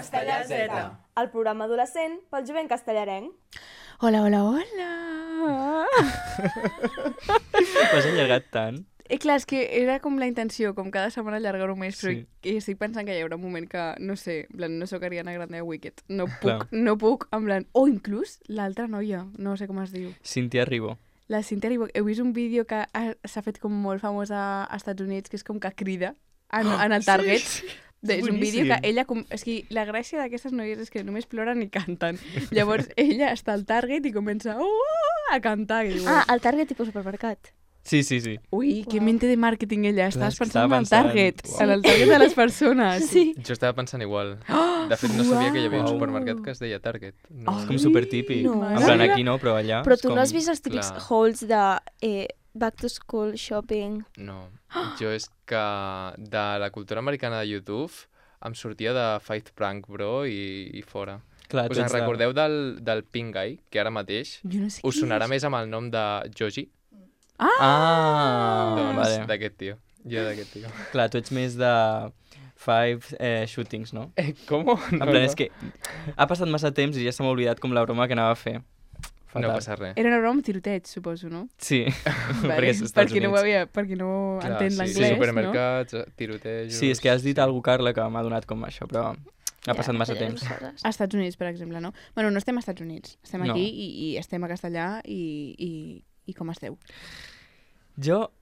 Castellà Z. El programa adolescent pel jovent castellarenc. Hola, hola, hola! L'has allargat tant? Clar, és que era com la intenció, com cada setmana allargar-ho més, però Sí. estic pensant que hi haurà un moment que, no sé, en plan, no sóc Ariana Grande de Wicked. No Clar. puc, en plan... O inclús l'altra noia, no sé com es diu. Cintia Ribó. La Cynthia Erivo. Heu vist un vídeo que s'ha fet com molt famós als Estats Units, que és com que crida en el Target. Sí. És un vídeo que Boníssim. ella... És que la gràcia d'aquestes noies és que només ploren i canten. Llavors ella està al Target i comença a cantar. I dius, El Target tipus supermercat. Sí. ui, que mente de màrqueting ella. Estàs és que pensant estava en el Target. pensant, En el Target de les persones. Sí. Jo estava pensant igual. De fet, no sabia que hi havia un Uau. supermercat que es deia Target. No. És com supertípic. no. En plan, aquí no, però allà... Però és tu com... no has vist els típics Clar. hauls de back to school shopping? No. Jo és que de la cultura americana de YouTube em sortia de Fight Prank Bro i fora. Clar, Us tu en ets de- recordeu del Pink Guy, que ara mateix Jo no sé us qui sonarà és. més amb el nom de Joji? Ah, Doncs vale. d'aquest tio. Jo d'aquest tio. Clar, tu ets més de shootings, no? Com? En plan, és que ha passat massa temps i ja se m'ha oblidat com la broma que anava a fer. No passa res. Era una broma amb tiroteig, suposo, no? Sí, Vale, perquè és als per Estats qui no ho Units. havia, per qui no entén sí, l'anglès, no? supermercats, tirotejos... Sí, és que has dit alguna cosa, Carla, que m'ha donat com això, però ha passat massa temps. Als Estats Units, per exemple, no? Bueno, no estem als Estats Units, estem No. aquí i estem a Castellà i com esteu? Jo,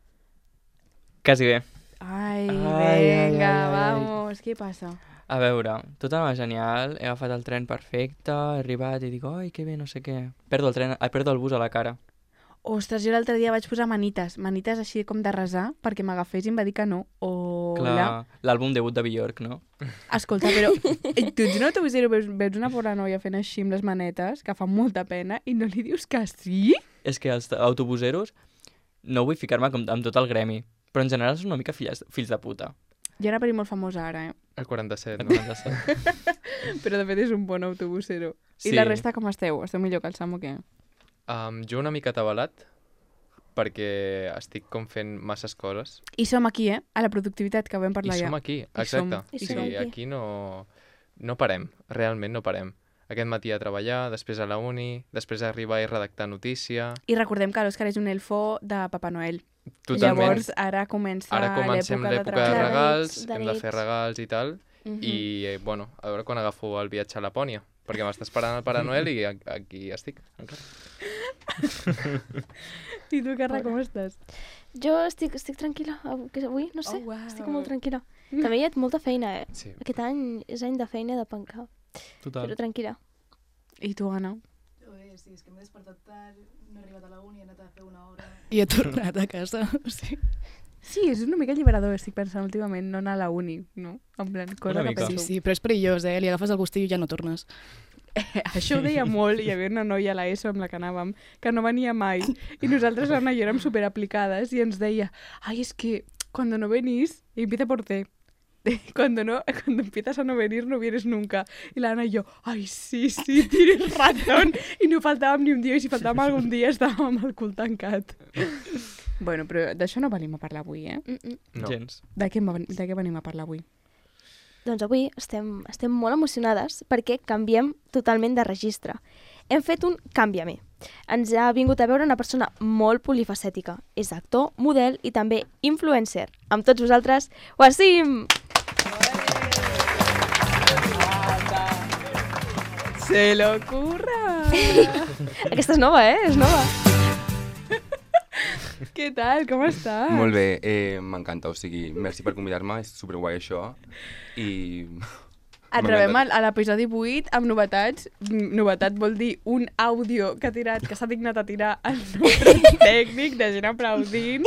quasi bé. Ai, Ai, venga, ai, ai. vamos, què passa? A veure, tot anava genial, he agafat el tren perfecte, he arribat i dic, ai, que bé, no sé què. Perdo el bus a la cara. Ostres, jo l'altre dia vaig posar manites així com de resar, perquè m'agafés i em va dir que no. Hola. Clar, l'àlbum debut de Bjork, no? Escolta, però tu ets una autobusera, veus una pobra noia fent així amb les manetes, que fa molta pena, i no li dius que sí? És que els autobuseros, no vull ficar-me amb tot el gremi, però en general són una mica fills de puta. Jo era per dir molt famosa ara, El 47, Et no? comentes això? però de fet és un bon autobusero. Sí. I la resta com esteu? Esteu millor que el Sam o què? Jo una mica atabalat, perquè estic com fent masses coses. I som aquí, a la productivitat, que vam parlar I ja. som aquí, I som- exacte. i Sí, som aquí. aquí no parem, realment no parem. Aquest matí a treballar, després a la uni, després a arribar i redactar notícia... I recordem que l'Òscar és un elfo de Papa Noel. Totalment. Llavors ara comença Ara comencem l'època de treballar. regals, de hem de nits. fer regals i tal, Mhm. i bueno, a veure quan agafo el viatge a Lapònia, perquè m'està esperant el Pare Noel i aquí estic. encara. I tu, Carla, com estàs? Jo estic tranquil·la, avui, no sé, Oh, uau. estic molt tranquil·la. També hi ha molta feina, Sí. Aquest any és any de feina de pencar, Total. però tranquil·la. I tu, Anna? Sí, és que m'he despertat tard, no he arribat a la uni, he anat a fer una hora... I he tornat a casa, o sigui... Sí, és una mica alliberador, estic pensant últimament, no anar a la uni, no? En plan, cosa Una que mica. penso. Sí, però és perillós, Li agafes el gustillo i ja no tornes. Això ho deia molt, hi havia una noia a l'ESO amb la que anàvem, que no venia mai, i nosaltres, l'Anna i jo, érem superaplicades, i ens deia, ai, es que cuando no venís, y empieza por T, cuando empiezas a no venir, no vienes nunca. I l'Anna i jo, ai, sí, tienes razón, i no faltàvem ni un dia, i si faltàvem algun dia estàvem amb el cul tancat. Bueno, però d'això no venim a parlar avui, eh? No. Gens. De què venim a parlar avui? Doncs avui estem molt emocionades perquè canviem totalment de registre. Hem fet un canviamé. Ens ha vingut a veure una persona molt polifacètica. És actor, model i també influencer. Amb tots vosaltres, Wasim! Se lo curra! Aquesta és nova, És nova. Què tal? Com estàs? Molt bé, m'encanta, o sigui, merci per convidar-me, és superguai això, i... Et rebem a l'episodi 8 amb novetats. Novetat vol dir un àudio que s'ha dignat a tirar el nostre tècnic de gent aplaudint.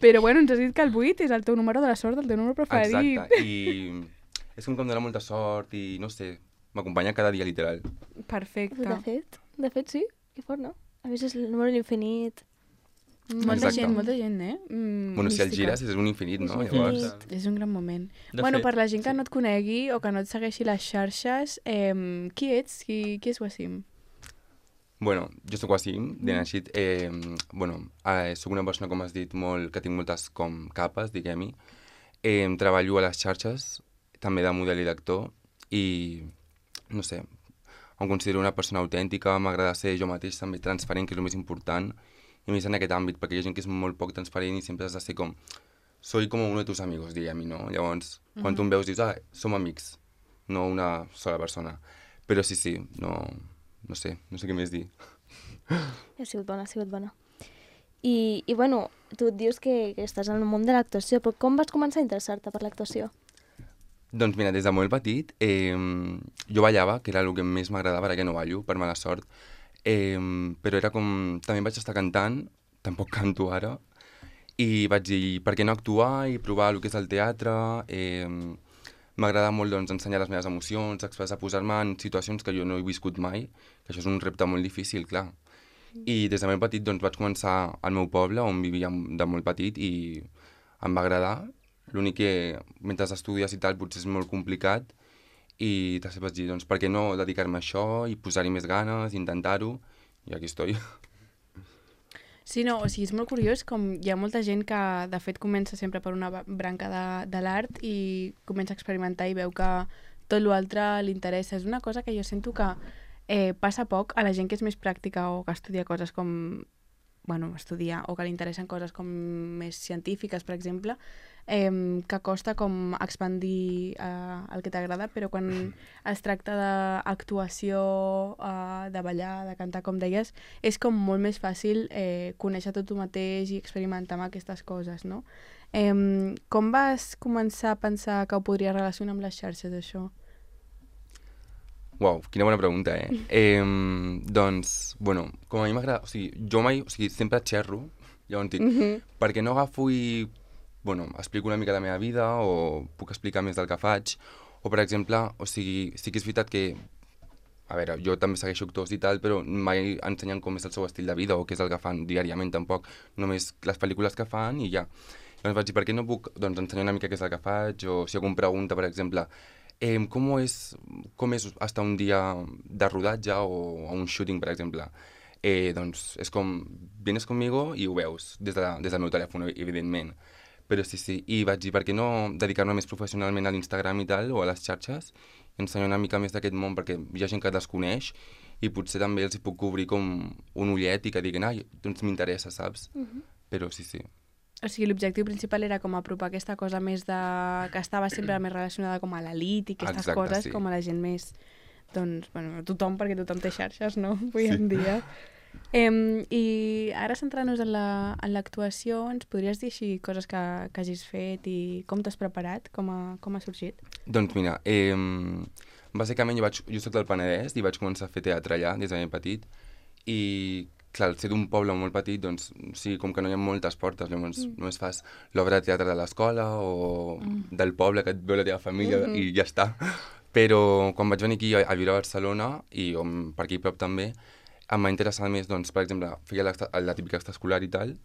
Però bueno, ens has dit que el 8 és el teu número de la sort, el teu número preferit. Exacte, i és com que em dona molta sort i, no sé, m'acompanya cada dia, literal. Perfecte. De fet, sí. Que fort, no? A més, és el número de l'infinit. Molta Exacte. gent, eh? Bueno, si el mística. gires és un infinit, no? És un Llavors, infinit. És un gran moment. De Bueno, fet, per la gent que sí. no et conegui o que no et segueixi les xarxes, qui ets? Qui és Wasim? bueno, jo sóc Wasim, de Naixit, sóc una persona, com has dit, que tinc moltes com capes, diguem-hi. Treballo a les xarxes, també de model i d'actor, i no sé, em considero una persona autèntica, m'agrada ser jo mateix també transparent, que és el més important, i més en aquest àmbit, perquè hi ha gent que és molt poc transparent i sempre has de ser com... Soy como uno de tus amigos, diguem-hi, no? Llavors, quan tu em veus dius, som amics, no una sola persona. Però sí, no sé què més dir. Ha sigut bona, ha sigut bona. I bueno, tu et dius que estàs en el món de l'actuació, però com vas començar a interessar-te per l'actuació? Doncs mira, des de molt petit jo ballava, que era el que més m'agradava, ara que no ballo, per mala sort, però era com... També vaig estar cantant, tampoc canto ara, i vaig dir, per què no actuar i provar el que és el teatre? M'agrada molt doncs, ensenyar les meves emocions, expressar, posar-me en situacions que jo no he viscut mai, que això és un repte molt difícil, clar. I des de molt petit doncs, vaig començar al meu poble, on vivia de molt petit, i em va agradar. L'únic que mentre estudies i tal potser és molt complicat, i després vaig dir, doncs per què no dedicar-me a això i posar-hi més ganes, intentar-ho, i aquí estoy. Sí, no, o sigui, és molt curiós com hi ha molta gent que, de fet, comença sempre per una branca de l'art i comença a experimentar i veu que tot l'altre li interessa. És una cosa que jo sento que passa poc a la gent que és més pràctica o que estudia coses com... bueno, estudiar o que li interessen coses com més científiques, per exemple, que costa com expandir el que t'agrada, però quan es tracta d'actuació, de ballar, de cantar, com deies, és com molt més fàcil conèixer tot tu mateix i experimentar amb aquestes coses, no? Com vas començar a pensar que ho podries relacionar amb les xarxes, això? Uau, quina bona pregunta, doncs, bueno, com a mi m'agrada... O sigui, jo mai... O sigui, sempre xerro, llavors dic, perquè no agafo i... Bueno, explico una mica la meva vida o puc explicar més del que faig. O, per exemple, o sigui, sí que és veritat que... A veure, jo també segueixo actors i tal, però mai ensenyen com és el seu estil de vida o què és el que fan diàriament, tampoc. Només les pel·lícules que fan i ja. Llavors vaig dir, per què no puc ensenyar una mica què és el que faig? O si algú em pregunta, per exemple... ¿Cómo es hasta un día de rodatge o un shooting, per exemple? Doncs és com, vienes conmigo i ho veus des del meu telèfon, evidentment. Però sí, i vaig dir, per què no dedicar-me més professionalment a l'Instagram i tal, o a les xarxes, i ensenyar una mica més d'aquest món, perquè hi ha gent que desconeix i potser també els hi puc obrir com un ullet i que diguin, ai, doncs m'interessa, saps? Però sí. O sigui, l'objectiu principal era com apropar aquesta cosa més de... que estava sempre més relacionada com a l'elit i aquestes coses, com a la gent més... Doncs, bueno, tothom, perquè tothom té xarxes, no? Avui en dia. I ara centrant-nos en l'actuació, ens podries dir així coses que hagis fet i com t'has preparat? Com ha sorgit? Doncs mira, bàsicament jo soc del Penedès i vaig començar a fer teatre allà des de ben petit i clar, al ser d'un poble molt petit, doncs, sí, com que no hi ha moltes portes, llavors només fas l'obra de teatre de l'escola o del poble que et veu la teva família i ja està. Però quan vaig venir aquí a viure a Barcelona, i per aquí prop també, em va interessar més, doncs, per exemple, feia la típica extraescolar i tal,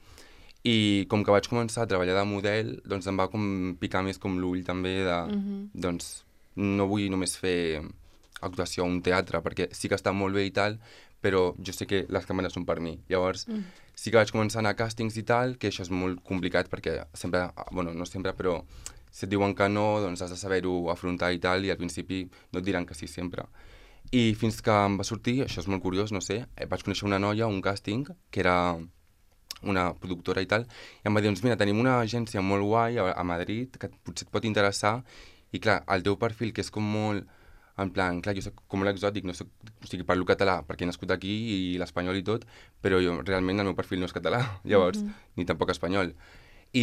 i com que vaig començar a treballar de model, doncs em va com picar més com l'ull també de, doncs, no vull només fer actuació a un teatre, perquè sí que està molt bé i tal, però jo sé que les càmeres són per mi. Llavors, sí que vaig començar a anar a càstings i tal, que això és molt complicat perquè sempre, bueno, no sempre, però si et diuen que no, doncs has de saber-ho afrontar i tal, i al principi no et diran que sí sempre. I fins que em va sortir, això és molt curiós, no sé, vaig conèixer una noia, un càsting, que era una productora i tal, i em va dir, doncs mira, tenim una agència molt guai a Madrid que potser et pot interessar, i clar, el teu perfil, que és com molt... En plan, clar, jo soc com molt exòtic, no soc, o sigui, parlo català perquè he nascut aquí i l'espanyol i tot, però jo realment el meu perfil no és català, llavors, ni tampoc espanyol. I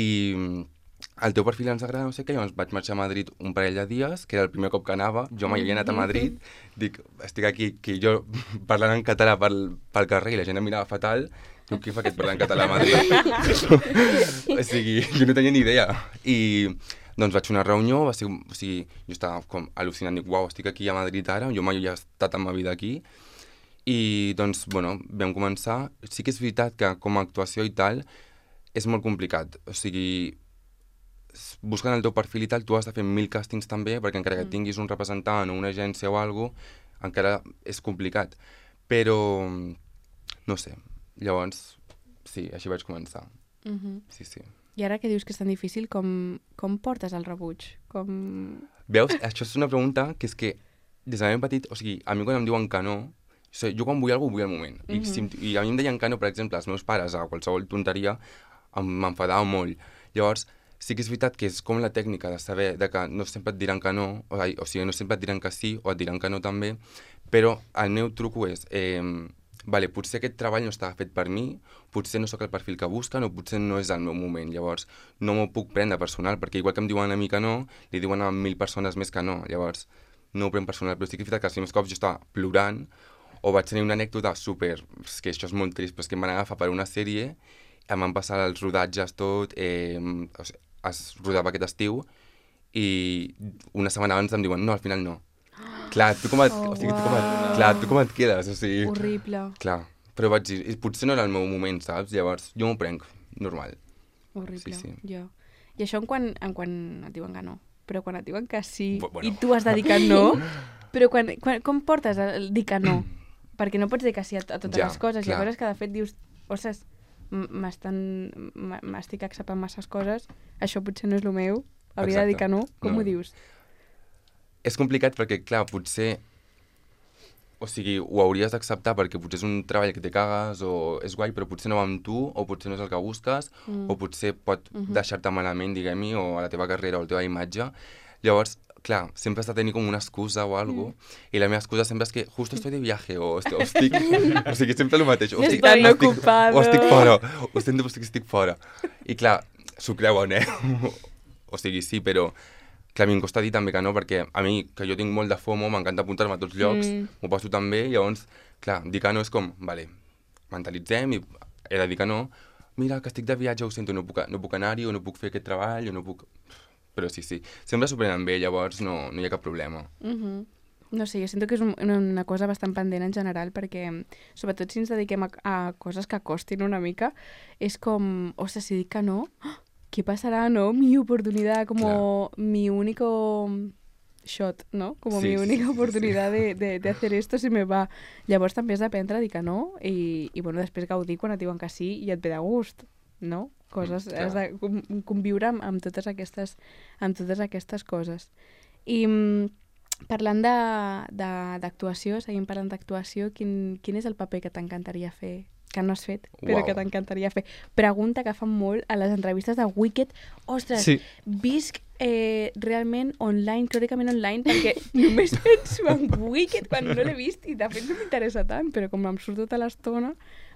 el teu perfil ens agrada, no sé què, llavors vaig marxar a Madrid un parell de dies, que era el primer cop que anava, jo mai havia anat a Madrid, dic, estic aquí, que jo parlant en català pel carrer i la gent em mirava fatal, dic, què fa aquest parlant en català a Madrid? O sigui, jo no tenia ni idea. I... doncs vaig fer una reunió, o sigui, jo estava com al·lucinant, dic, uau, estic aquí a Madrid ara, jo mai he estat en ma vida aquí, i doncs, bueno, vam començar. Sí que és veritat que com a actuació i tal és molt complicat, o sigui, buscant el teu perfil i tal, tu has de fer 1000 càstings també, perquè encara que tinguis un representant o una agència o alguna cosa, encara és complicat, però no sé, llavors, sí, així vaig començar, sí. I ara que dius que és tan difícil, com portes el rebuig? Veus? Això és una pregunta que és que des de ben petit, o sigui, a mi quan em diuen que no, o sigui, jo quan vull alguna cosa vull al moment. I a mi em deien que no, per exemple, els meus pares a qualsevol tonteria m'enfadava molt. Llavors, sí que és veritat que és com la tècnica de saber de que no sempre et diran que no, o sigui, no sempre et diran que sí o et diran que no també, però el meu truco és, vale, potser aquest treball no està fet per mi, potser no sóc el perfil que busquen o potser no és el meu moment, llavors no m'ho puc prendre personal, perquè igual que em diuen a mi que no, li diuen a 1.000 persones més que no, llavors no ho prenc personal, però sí que és veritat que els primers cops jo estava plorant o vaig tenir una anècdota super, és que això és molt trist, però és que em van agafar per una sèrie, em van passar els rodatges tot, o sigui, es rodava aquest estiu i una setmana abans em diuen no, al final no. Clar, tu com et quedes, o sigui... Horrible. Clar, però vaig dir, potser no era el meu moment, saps? Llavors, jo m'ho prenc, normal. Horrible, Sí. jo. I això quan et diuen que no. Però quan et diuen que sí Bueno. i tu has de dir que no, però com portes el dir que no? Perquè no pots dir que sí a totes les coses. Hi ha clar. coses que de fet dius, ostres, m'estic acceptant masses coses, això potser no és el meu, hauria de dir que no. Com No. ho dius? És complicat perquè, clar, potser... O sigui, ho hauries d'acceptar perquè potser és un treball que te cagues o és guai, però potser no va amb tu, o potser no és el que busques, o potser pot deixar-te malament, diguem-hi, o a la teva carrera o a la teva imatge. Llavors, clar, sempre has de tenir com una excusa o alguna cosa, i la meva excusa sempre és que justo estoy de viaje, o estic... o sigui, sempre el mateix. Estoy tan ocupado. O estic fora, o estic fora. I clar, s'ho creuen, o sigui, sí, però... Clar, a mi em costa dir també que no, perquè a mi, que jo tinc molt de FOMO, m'encanta apuntar-me a tots llocs, m'ho passo tan bé, llavors, clar, dir que no és com, vale, mentalitzem i he de dir que no, mira, que estic de viatge, ho sento, no puc anar-hi, o no puc fer aquest treball, o no puc... Però sí, sempre s'ho prenen bé, llavors no hi ha cap problema. No sé, jo sento que és una cosa bastant pendent en general, perquè sobretot si ens dediquem a coses que costin una mica, és com, ostres, si dic que no... ¿Qué pasará, no? Mi oportunidad, como mi único shot, ¿no? Como mi única oportunidad de hacer esto se me va. Llavors també has d'aprendre a dir que no i bueno, després gaudir quan et diuen que sí i et ve de gust, no? Coses, has de conviure amb totes aquestes coses. I parlant d'actuació, seguim parlant d'actuació, quin és el paper que t'encantaria fer? Que no has fet, però que t'encantaria fer. Pregunta que fan molt a les entrevistes de Wicked. Ostres, visc realment online, crònicament online, perquè només penso en Wicked quan no l'he vist i de fet no m'interessa tant, però com em surt tota l'estona...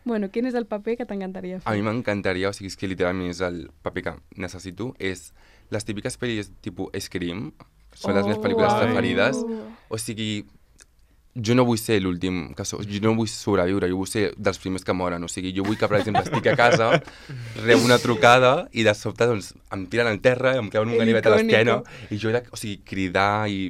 Bueno, quin és el paper que t'encantaria fer? A mi m'encantaria, o sigui, és que literalment és el paper que necessito, és les típiques pel·lis tipus Scream, són les meves pel·lícules preferides, o sigui... Jo no vull ser l'últim, jo no vull sobreviure, jo vull ser dels primers que moren, o sigui, jo vull que, per exemple, estic a casa, rebo una trucada i de sobte, doncs, em tiren al terra, em claven un ganivet a l'esquena, i jo he de, o sigui, cridar i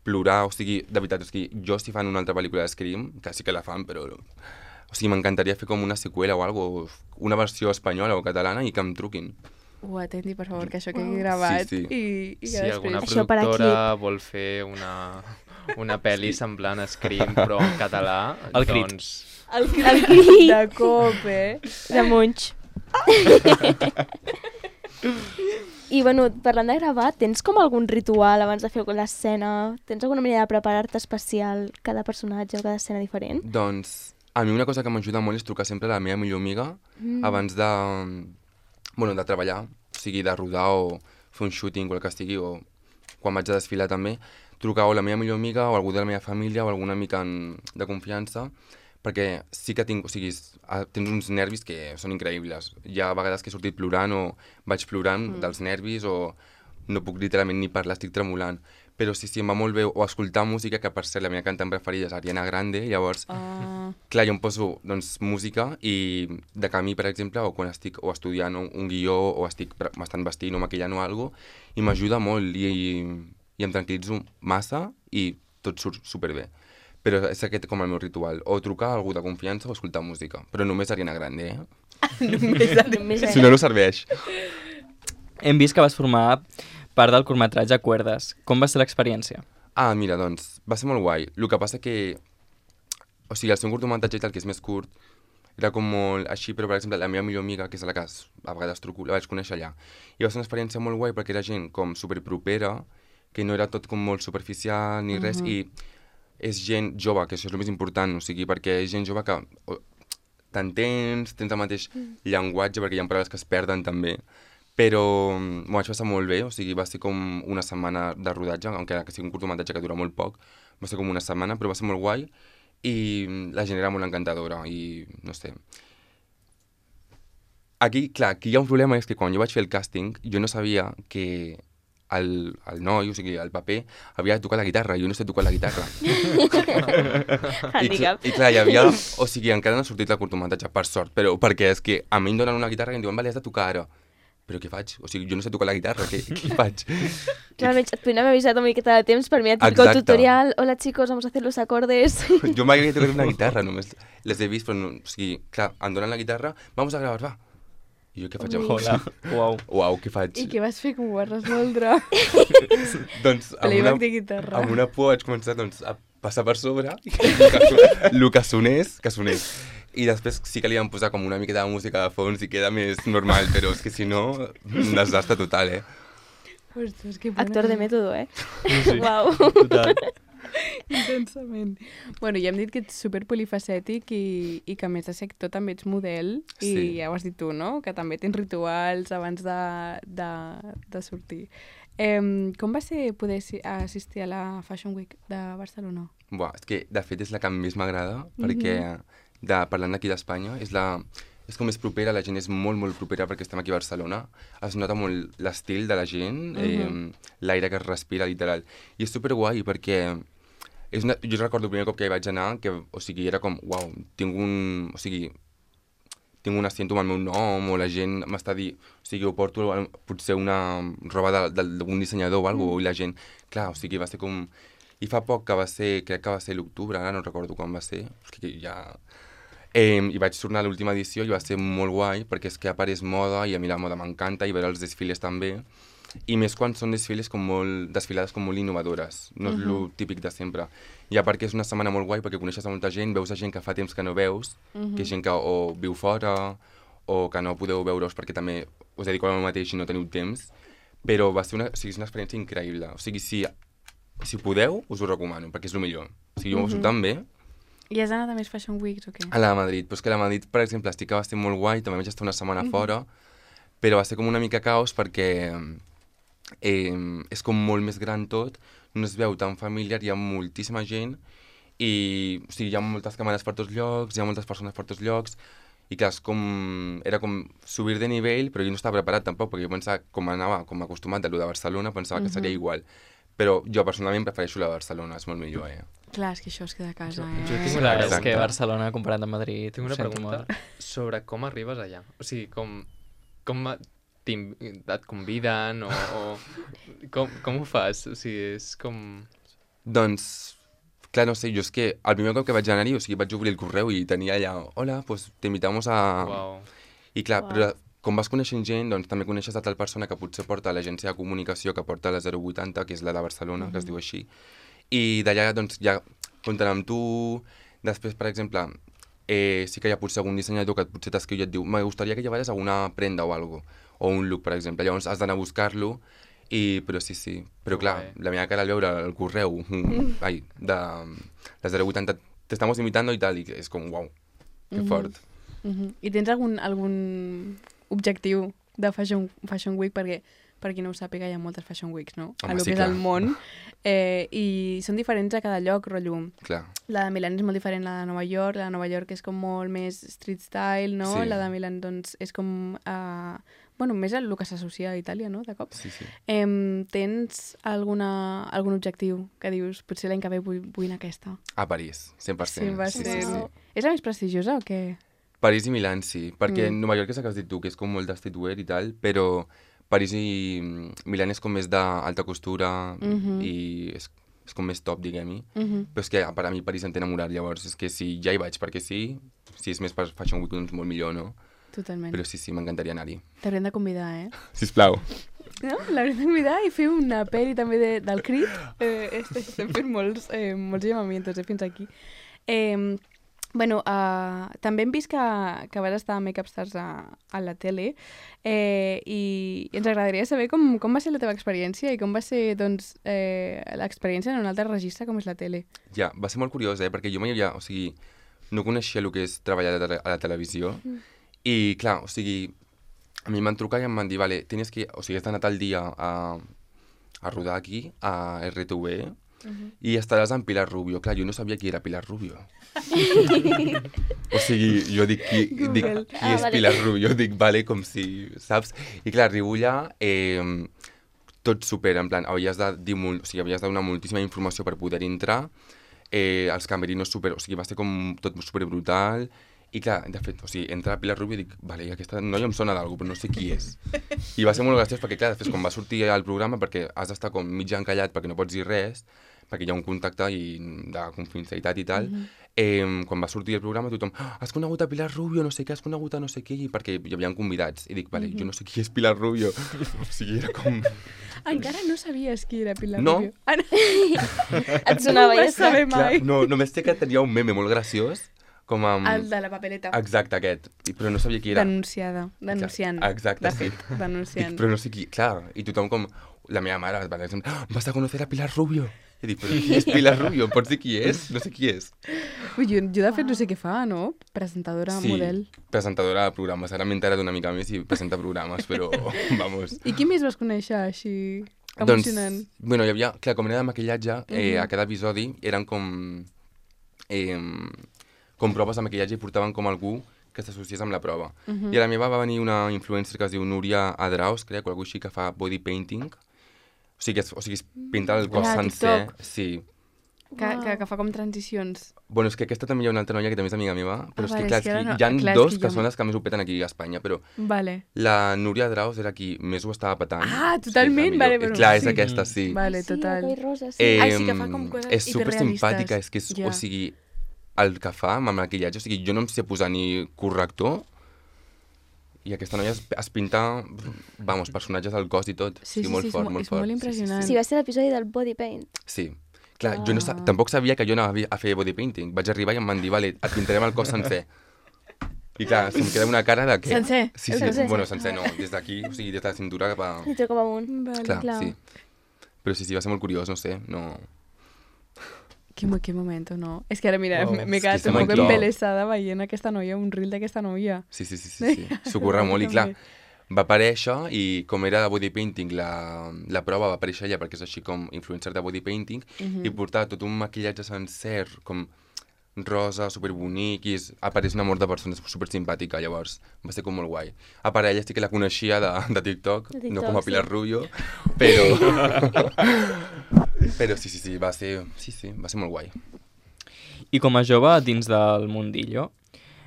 plorar, o sigui, de veritat, o sigui, jo si fan una altra pel·lícula de Scream, que sí que la fan, però... O sigui, m'encantaria fer com una seqüela o alguna cosa, una versió espanyola o catalana i que em truquin. Ho atenti, per favor, que això quedi gravat. Sí. I que Si després... alguna productora vol fer una pel·li semblant a Scream, però en català, El crit. doncs... El crit de cop, De Munch. I, bueno, parlant de gravar, tens com algun ritual abans de fer l'escena? Tens alguna manera de preparar-te especial cada personatge o cada escena diferent? Doncs, a mi una cosa que m'ajuda molt és trucar sempre a la meva millor amiga abans de, bueno, de treballar, o sigui, de rodar o fer un shooting o el que estigui, o quan vaig a desfilar també, trucar o la meva millor amiga o algú de la meva família o alguna amiga de confiança, perquè sí que tinc, o sigui, tens uns nervis que són increïbles. Hi ha vegades que he sortit plorant o vaig plorant dels nervis o no puc literalment ni parlar, estic tremolant. Però sí, em va molt bé, o escoltar música, que per cert la meva cantant preferida és Ariana Grande, llavors, clar, jo em poso doncs, música i de camí, per exemple, o quan estic o estudiant un guió o m'estan vestint o maquillant o alguna cosa, i m'ajuda molt i em tranquil·litzo massa i tot surt superbé. Però és aquest com el meu ritual, o trucar a algú de confiança o escoltar música, però només Ariana Grande, Només Si no, no serveix. Hem vist que vas formar part del curtmetratge Cuerdas. Com va ser l'experiència? Ah, mira, doncs, va ser molt guai. El que passa que, o sigui, el seu curtmetratge i tal, que és més curt, era com molt així, però, per exemple, la meva millor amiga, que és a la que a vegades truco, la vaig conèixer allà. I va ser una experiència molt guai perquè era gent com superpropera, que no era tot com molt superficial ni res, i és gent jove, que això és el més important, o sigui, perquè és gent jove que t'entens, tens el mateix llenguatge, perquè hi ha paraules que es perden també, però m'ho vaig passar molt bé, o sigui, va ser com una setmana de rodatge, encara que sigui un curtmetratge que dura molt poc, va ser com una setmana, però va ser molt guai, i la gent era molt encantadora, i no sé. Aquí, clar, aquí hi ha un problema, és que quan jo vaig fer el càsting, jo no sabia que el noi, o sigui, el paper, havia de tocar la guitarra, i jo no sé tocar la guitarra. I clar, hi havia... O sigui, encara no ha sortit el curtmetratge, per sort, però perquè és que a mi em donen una guitarra i em diuen, vale, has de tocar ara. Però què faig? O sigui, jo no sé tocar la guitarra, què faig? Realment, et podríem haver avisat una miqueta de temps per mirar el típico tutorial. Hola chicos, vamos a hacer los acordes. Jo mai havia tocat una guitarra, només les he vist, però no, o sigui, clar, em donen la guitarra, vamos a gravar, va. I jo què faig? Hola, Uau, què faig? I què vas fer? Com ho vas resoldre? Doncs Playback de guitarra. amb una por vaig començar doncs, a passar per sobre el que sonés. I després sí que li vam posar com una mica de música de fons i queda més normal, però és que si no, un desastre total, Ostres, que bona. Actor de mètode, Sí. Uau. Total. Intensament. Bueno, ja hem dit que ets super polifacètic i que a més de ser actor també ets model i ja ho has dit tu, no? Que també tens rituals abans de sortir. Com va ser poder assistir a la Fashion Week de Barcelona? Buah, és que de fet és la que més m'agrada, perquè parlant d'aquí d'Espanya, és com més propera, la gent és molt, molt propera perquè estem aquí a Barcelona, es nota molt l'estil de la gent, l'aire que es respira, literal. I és superguai perquè jo recordo el primer cop que hi vaig anar, que, o sigui, era com, uau, tinc un asiento amb el meu nom, o la gent m'està dient, o sigui, ho porto potser una roba d'algun dissenyador o alguna cosa, i la gent, clar, o sigui, va ser com... I fa poc que va ser, crec que va ser l'octubre, ara no recordo quan va ser, perquè ja... I vaig tornar a l'última edició i va ser molt guai, perquè és que a part és moda, i a mi la moda m'encanta, i veure els desfiles també, i més quan són desfilades com molt innovadores, no és el típic de sempre. I a part que és una setmana molt guai perquè coneixes a molta gent, veus a gent que fa temps que no veus, que és gent que o viu fora o que no podeu veure-us perquè també us dediqueu al mateix i no teniu temps, però va ser una experiència increïble. O sigui, si podeu, us ho recomano, perquè és el millor. O sigui, jo m'ho passo tan bé. I has anat a més Fashion Weeks o què? A la de Madrid, però és que a la Madrid, per exemple, estic que va ser molt guai, també vaig estar una setmana fora, però va ser com una mica caos perquè és com molt més gran tot, no es veu tan familiar, hi ha moltíssima gent i o sigui, hi ha moltes càmeres per tots llocs, hi ha moltes persones per tots llocs i clar, era com subir de nivell, però jo no estava preparat tampoc, perquè jo pensava, com anava com acostumat de lo de Barcelona, pensava que seria igual. Però jo personalment prefereixo la de Barcelona, és molt millor, Clar, és que això es queda a casa, Jo tinc Clar, una és que Exacte. Barcelona comparat amb Madrid... Tinc una ho sento pregunta molt. sobre com arribes allà. O sigui, com et conviden o com ho fas? O sigui, és com... Doncs, clar, no sé, jo és que el primer cop que vaig anar-hi, o sigui, vaig obrir el correu i tenia allà, hola, pues te invitamos a... Uau. I clar, però com vas coneixent gent, doncs també coneixes a tal persona que potser porta l'agència de comunicació, que porta la 080, que és la de Barcelona, que es diu així, i d'allà doncs ja compten amb tu. Després, per exemple, sí que hi ha potser algun dissenyador que potser t'escriu i et diu me gustaría que llevares alguna prenda o algo, o un look, per exemple. Llavors has d'anar a buscar-lo, però sí. Però clar, la meva cara al veure el correu de la 080, t'estamos invitando i tal, i és com, uau, que fort. I tens algun objectiu de Fashion Week? Perquè per qui no ho sàpiga, hi ha moltes Fashion Weeks, no? Home, a lo sí, que és clar. el món. I són diferents a cada lloc, rotllo. Clar. La de Milán és molt diferent a la de Nova York. La de Nova York és com molt més street style, no? Sí. La de Milán, doncs, és com... bueno, més el que s'associa a Itàlia, no?, de cop. Sí. Tens algun objectiu que dius, potser l'any que ve vull anar a aquesta? A París, 100%. 100%. Sí. És la més prestigiosa o què? París i Milán, sí, perquè Nova York és el que has dit tu, que és com molt de streetwear i tal, però París i Milán és com més d'alta costura i és com més top, diguem-hi. Però és que per a mi París em té enamorat, llavors és que si ja hi vaig perquè sí, si és més per Fashion Week, doncs molt millor, no? Totalment. Però sí, m'encantaria anar-hi. T'haurem de convidar, Sisplau. No? L'haurem de convidar i fer una pel·li també del Crit. Estem fent molts llamamientos fins aquí. Bueno, també hem vist que vas estar a Makeup Stars a la tele i ens agradaria saber com va ser la teva experiència i com va ser doncs, l'experiència en un altre registre com és la tele. Ja, va ser molt curiós, perquè jo mai havia... O sigui, no coneixia el que és treballar a la televisió i, clar, o sigui, a mi em van trucar i em van dir, vale, tienes que... O sigui, has d'anar tal dia a rodar aquí, a RTV, i estaràs amb Pilar Rubio. Clar, jo no sabia qui era Pilar Rubio. O sigui, jo dic, qui és vale. Pilar Rubio? Dic, vale, com si, saps? I clar, arribo allà, tot super, en plan, havies de donar moltíssima informació per poder entrar, els camerinos super, o sigui, va ser com tot super brutal, i clar, de fet, o sigui, entra Pilar Rubio i dic, vale, aquesta noia em sona d'algú, però no sé qui és. I va ser molt graciós perquè, clar, després quan va sortir al programa, perquè has d'estar com mig encallat perquè no pots dir res, perquè hi ha un contacte de confidencialitat i tal, quan va sortir el programa tothom, has conegut a Pilar Rubio, no sé què, has conegut a no sé què, perquè hi havia convidats. I dic, vale, jo no sé qui és Pilar Rubio. O sigui, era com... Encara no sabies qui era Pilar No. Rubio? Et sonava no ho vas ja. saber mai. Clar, no, només sé que tenia un meme molt graciós, com amb... El de la papeleta. Exacte, aquest. Però no sabia qui era. Denunciant. Exacte, de sí. fet, denunciant. Dic, però no sé qui... Clar, i tothom com... La meva mare va dir, vas a conocer a Pilar Rubio. I dic, però qui és Pilar Rubio? Em pots dir qui és? No sé qui és. Ui, jo de fet no sé què fa, no? Presentadora, model. Presentadora de programes. Ara m'he enterat una mica més i presenta programes, però vamos. I qui més vas conèixer així emocionant? Doncs, bueno, hi havia... Clar, com era de maquillatge, a cada episodi eren com proves de maquillatge i portaven com algú que s'associés amb la prova. I a la meva va venir una influencer que es diu Núria Adraus, crec, o algú així, que fa body painting. O sigui, es pinta el cos sencer. TikTok. Sí. Que fa com transicions. Bueno, és que aquesta també hi ha una altra noia que també és amiga meva, però és vale, que, clar, és que ara no- hi ha clar, és dos que que jo- són les que més ho peten aquí a Espanya, però Vale. la Núria Adraus era qui més ho estava petant. Ah, totalment, Sí, vale, la millor. però Clar, és sí. aquesta, sí. Vale, total. Sí, el rosa, sí. Ai, sí que fa com coses És super simpàtica, hiperrealistes. és que és, Ja. o sigui, el que fa amb el maquillatge, o sigui, jo no em sé posar ni corrector, i aquesta noia es pinta, vamos, personatges al cos i tot. Sí, o sigui, molt sí, fort, és molt molt fort. impressionant. Sí, va ser l'episodi del body paint. Sí. Clar, jo no tampoc sabia que jo anava a fer body painting. Vaig arribar i em van dir, vale, et pintarem el cos sencer. I clar, se'm queda una cara de què? Sencer? Sí, El sí, sencer? bueno, sencer no, des d'aquí, o sigui, des de la cintura cap a... I treu cap amunt. Vale. Clar, sí. Però sí, va ser molt curiós, no sé, no... Qué momento, no? És que ara, mira, Oh, m'he és que quedat està un poc molt top. embelesada veient aquesta noia, un reel d'aquesta noia. Sí. S'ho corre molt i clar, va aparèixer i com era de body painting, la prova va aparèixer ella perquè és així com influencer de body painting i portava tot un maquillatge sencer, com rosa, superbonic, i apareix un amor de persona super simpàtica, llavors va ser com molt guai. A part, ella sí que la coneixia de TikTok, De TikTok, no com a Pilar sí. Rubio, però... però sí, va ser molt guai. I com a jove dins del mundillo,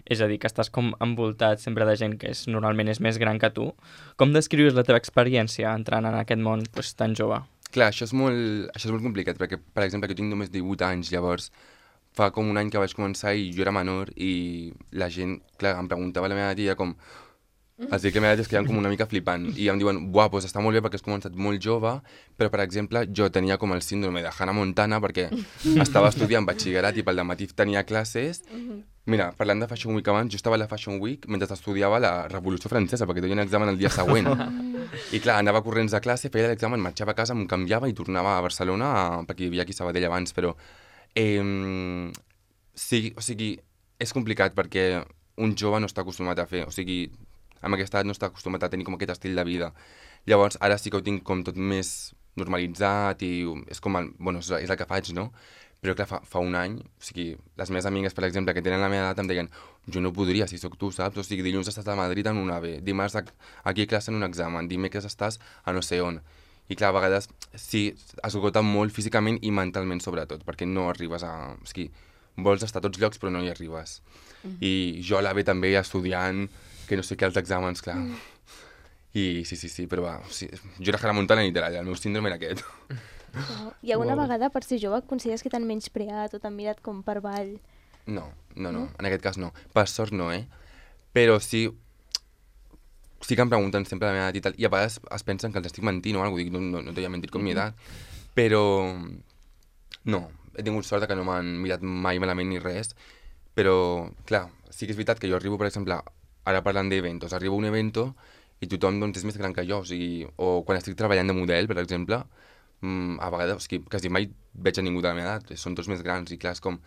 és a dir, que estàs com envoltat sempre de gent que normalment és més gran que tu, com descrius la teva experiència entrant en aquest món tan jove? Clar, això és molt complicat, perquè, per exemple, jo tinc només 18 anys, llavors fa com un any que vaig començar i jo era menor i la gent, clar, em preguntava la meva tia com... Els dic que la meva tia es quedaven com una mica flipant i em diuen, buah, doncs està molt bé perquè has començat molt jove, però, per exemple, jo tenia com el síndrome de Hannah Montana perquè estava estudiant batxillerat i pel dematí tenia classes. Mira, parlant de Fashion Week abans, jo estava a la Fashion Week mentre estudiava la Revolució Francesa, perquè tenia un examen el dia següent. I clar, anava corrents a classe, feia l'examen, marxava a casa, em canviava i tornava a Barcelona, perquè hi havia aquí a Sabadell abans, però... sí, o sigui, és complicat perquè un jove no està acostumat a fer, o sigui, amb aquesta edat no està acostumat a tenir com aquest estil de vida. Llavors, ara sí que ho tinc com tot més normalitzat i és com, bueno, és el que faig, no? Però clar, fa un any, o sigui, les meves amigues, per exemple, que tenen la meva edat, em deien jo no podria, si sóc tu, saps? O sigui, dilluns estàs a Madrid en una B, dimarts aquí a classe en un examen, dimecres estàs a no sé on. I clar, a vegades sí, esgota molt físicament i mentalment sobretot, perquè no arribes a... O sigui, vols estar a tots llocs però no hi arribes. I jo a la B també estudiant, que no sé què, els exàmens, clar. I sí, però va, sí, jo era Hannah Montana literal, el meu síndrome era aquest. I alguna vegada, per ser jove, consideres que t'han menyspreat o t'han mirat com per avall? No, en aquest cas no. Per sort no, Però sí que em pregunten sempre la meva edat i tal, i a vegades es pensen que els estic mentint o alguna cosa, dic, no t'he mentit com mi edat, però no, he tingut sort que no m'han mirat mai malament ni res, Però, clar, sí que és veritat que jo arribo, per exemple, ara parlant d'eventos, arribo a un evento i tothom doncs, és més gran que jo, o sigui, o quan estic treballant de model, per exemple, a vegades, o sigui, quasi mai veig a ningú de la meva edat, són tots més grans i clar, és com,